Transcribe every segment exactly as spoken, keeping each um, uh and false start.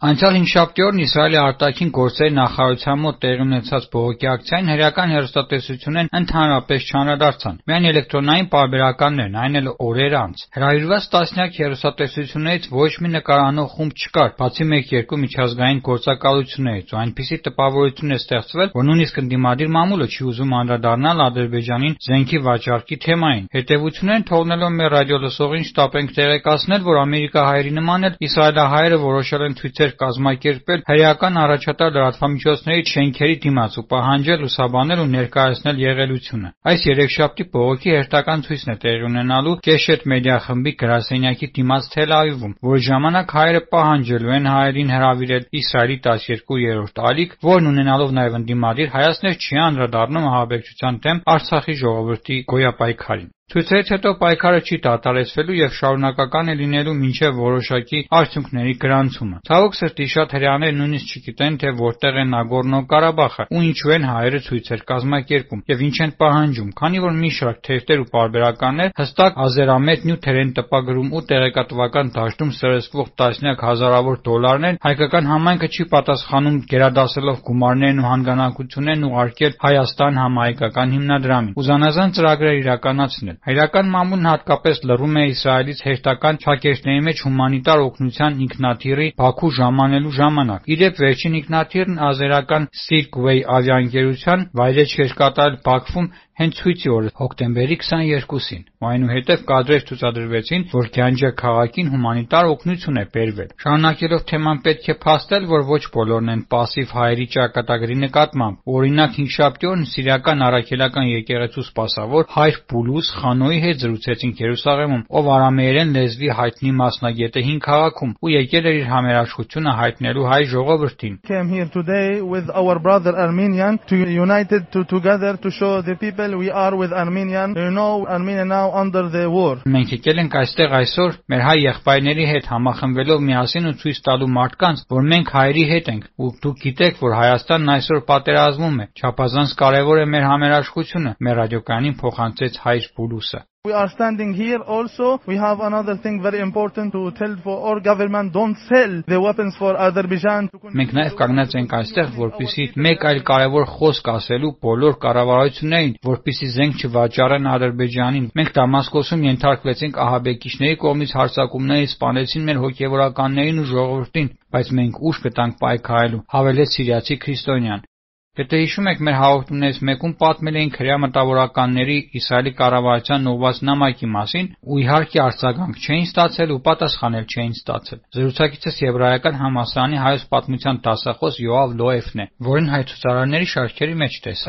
Անցյալ հինգշաբթի օրն Իսրայելի արտաքին գործերի նախարարության մոտ տեղի ունեցած բողոքի ակցիային հրեական հեռուստատեսություններն ընդհանրապես չանդրադարձան, միայն էլեկտրոնային պարբերականներն, այն էլ օրեր անց։ Հրավիրված տասնյակ հեռուստատեսություններից ոչ մի նկարանող խումբ չկար, բացի մեկ-երկու միջազգային գործակալություններից, ու այնպիսի տպավորություն է ստեղծվել, որ նույնիսկ ընդդիմադիր մամուլը չի ուզում անդրադառնալ Ադրբեջանին զենքի վաճառքի թեմային։ Հետևություններն թողնելով մեր ռադիոլսողին շտապենք տեղեկացնել, որ ամերիկահայերի նման էլ իսրայելահայերը որոշել են ցույցեր կազմակերպել հրեական առաջատար լրատվամիջոցների շենքերի դիմաց ու պահանջել լուսաբանել ու ներկայացնել եղելությունը։ Այս երեքշաբթի բողոքի հերթական ցույցն է տեղի ունենալու Կեշեթ մեդիա խմբի գրասենյակի դիմաց Թել Ավիվում, որի ժամանակ հայերը պահանջելու են հայերին հրավիրել Իսրայելի տասներկուերորդ ալիք, որն ունենալով նաև ընդդիմադիր հայացքներ չի անդրադառնում ահաբեկչության դեմ Արցախի ժողովրդի գոյապայքարին։ Ցույցերից հետո պայքարը չի դադարեցվելու եւ շարունակական է լինելու մինչեւ որոշակի արդյունքների գրանցումը։ Ցավոք սրտի շատ հրեաներ նույնիսկ չգիտեն, թե որտեղ է Նագորնո-Ղարաբաղը ու ինչու են հայերը ցույցեր կազմակերպում եւ ինչ են պահանջում, քանի որ մի շարք թերթեր ու պարբերականներ հստակ ազերամետ նյութեր են տպագրում ու տեղեկատվական դաշտում սրսկվող տասնյակ հազարավոր դոլարներ հայկական համայնքը չի պատասխանում գերադասելով գումարներն ու հանգանակություններն ուղարկել Հայաստան համահայկական հիմնադրամին ու զանազան ծրագրեր իրականացնել։ Հայկական մամուլն հատկապես լռում է Իսրայելից հերթական փակեջների մեջ հումանիտար օգնության ինքնաթիռի Բաքու ժամանելու ժամանակ։ Իդեպ վերջին ինքնաթիռն ազերական Silkway ավիաընկերության վայրէջք էր կատարել Բաքվում հենց ցույցի օրը հոկտեմբերի քսաներկուսին, ու այնուհետև կադրեր ցուցադրվեցին, որ Գանջա քաղաքին հումանիտար օգնություն է բերվել։ Շարունակելով թեման պետք է փաստել, որ ոչ բոլորն են պասիվ հայերի ճակատագրի նկատմամբ։ Օրինակ հինգշաբթի օրն սիրիական առաքելական եկեղեցու սպասավոր հայր Պուլուս Խանոյի հետ զրուցեցինք Երուսաղեմում, ով արամեերեն լեզվի հայտնի մասնագետ է հին քաղաքում ու եկել էր իր համերաշխությունը հայտնելու հայ ժողովրդին։ Came here today with our brother Armenian to united to together to show the people we are with Armenian. You know Armenia now under the war. Մենք եկել ենք այստեղ այսօր մեր հայ եղբայրների հետ համախմբվելով միասին ու ցույց տալու մարդկանց, որ մենք հայերի հետ ենք, ու դուք գիտեք, որ Հայաստանն այսօր պատերազմում է։ Չափազանց կարևոր է մեր համերաշխությունը, մեր ռադիոկայանին փոխանցեց հայր Պուլուսը։ We are standing here also. We have another thing very important to tell for our government, don't sell the weapons for Azerbaijan. Մենք նաև կանգնած ենք այստեղ, որպեսզի մեկ այլ կարևոր խոսք ասելու բոլոր կառավարություններին, որպեսզի զենք չվաճառեն Ադրբեջանին։ Մենք Դամասկոսում ենթարկվեցինք ահաբեկիչների կողմից հարձակումների, սպանեցին մեր հոգևորականներին ու ժողովրդին, բայց մենք ուժ կտանք պայքարելու, հավելեց սիրիացի քրիստոնյան։ Եթե հիշում եք, մեր հաղորդումներից մեկում պատմել էինք հրեա մտավորականների Իսրայելի կառավարության ուղղված նամակի մասին, ու իհարկե արձագանք չէին ստացել ու պատասխանել չէին ստացել։ Զրուցակիցս եբրայական համալսարանի հայոց պատմության դասախոս Յոավ Լոեֆն է, որին հայ ցուցարարների շարքերի մեջ տեսա։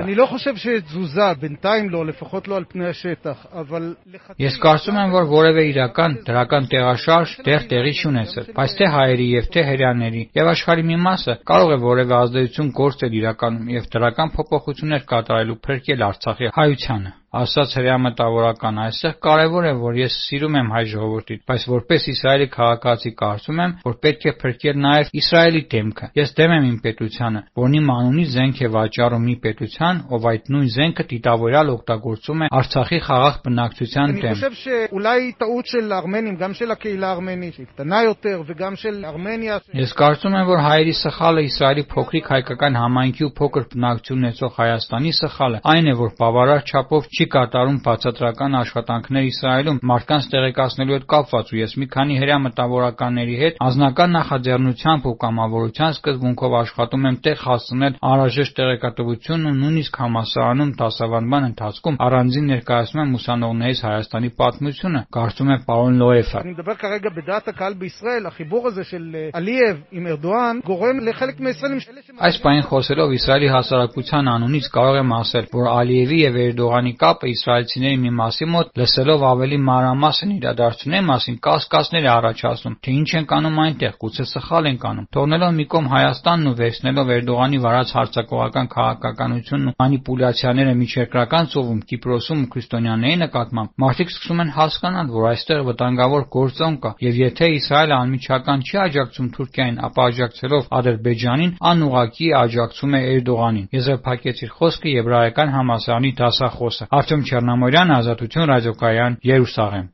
Ես կարծում եմ, որ որևէ իրական դրական տեղաշարժ դեռ տեղի չունեցել, բայց թե հայերի եւ թե հրեաների եւ աշխարհի մի մասը կարող է որևէ ազդեցություն գործել իրականում եւ դրական փոփոխություններ կատարելու փրկել Արցախի հայությանը։ Ասաց հրեա մտավորական, այստեղ կարևոր է, որ ես սիրում եմ հայ ժողովրդին, բայց որպես Իսրայելի քաղաքացի կարծում եմ, որ պետք է փրկել նաև Իսրայելի դեմքը։ Ես դեմ եմ իմ պետությանը, որն իմ անունից զենք է վաճառում մի պետության, ով այդ նույն զենքը դիտավորյալ օգտագործում է Արցախի խաղաղ բնակչության դեմ։ Ես կարծում եմ, որ հայերի սխալը Իսրայելի փոքրիկ հայկական համայնքի ու փոքր բնակչություն ունեցող Հայաստանի սխալը այն է, որ բավարար չափով չի կատարում բացատրական աշխատանքներ Իսրայելում մարդկանց տեղեկացնելու հետ կապված, ու ես մի քանի հրեա մտավորականների հետ անձնական նախաձեռնությամբ ու կամավորության սկզբունքով աշխատում եմ տեղ հասցնել անհրաժեշտ տեղեկատվությունն ու նույնիսկ համալսարանում դասավանդման ընթացքում առանձին ներկայացնում եմ ուսանողներից Հայաստանի պատմությունը, կարծում է պարոն Լոեֆը։ Այս բանին խոսելով Իսրայելի հասարակության անունից կարող եմ ասել, որ Ալիևի եւ Էրդողանի կապը իսրայելցիների մի մասի մոտ լսելով ավելի մանրամասն իրադարձությունների մասին կասկածներ է առաջացնում, թե ինչ են կանում այնտեղ, գուցե սխալ են կանում։ Թողնելով մի կողմ Հայաստանն ու վերցնելով Էրդողանի վարած հարձակողական քաղաքականությունն ու մանիպուլյացիաները միջերկրական ծովում, Կիպրոսում ու քրիստոնյաների նկատմամբ, մարդիկ սկսում են հասկանալ, որ այստեղ վտանգավոր գործոն կա, եւ եթե Իսրայելը անմիջական չի աջակցում Թուրքիային, ապա աջակցելով Ադրբեջանին, անուղղակի աջակցում է Էրդողանին։ Եզրափակեց իր խոսքը եբրայական համալսարանի դասախոսը։ Արտյոմ Չեռնամորյան, Ազատություն ռադիոկայան, Երուսաղեմ։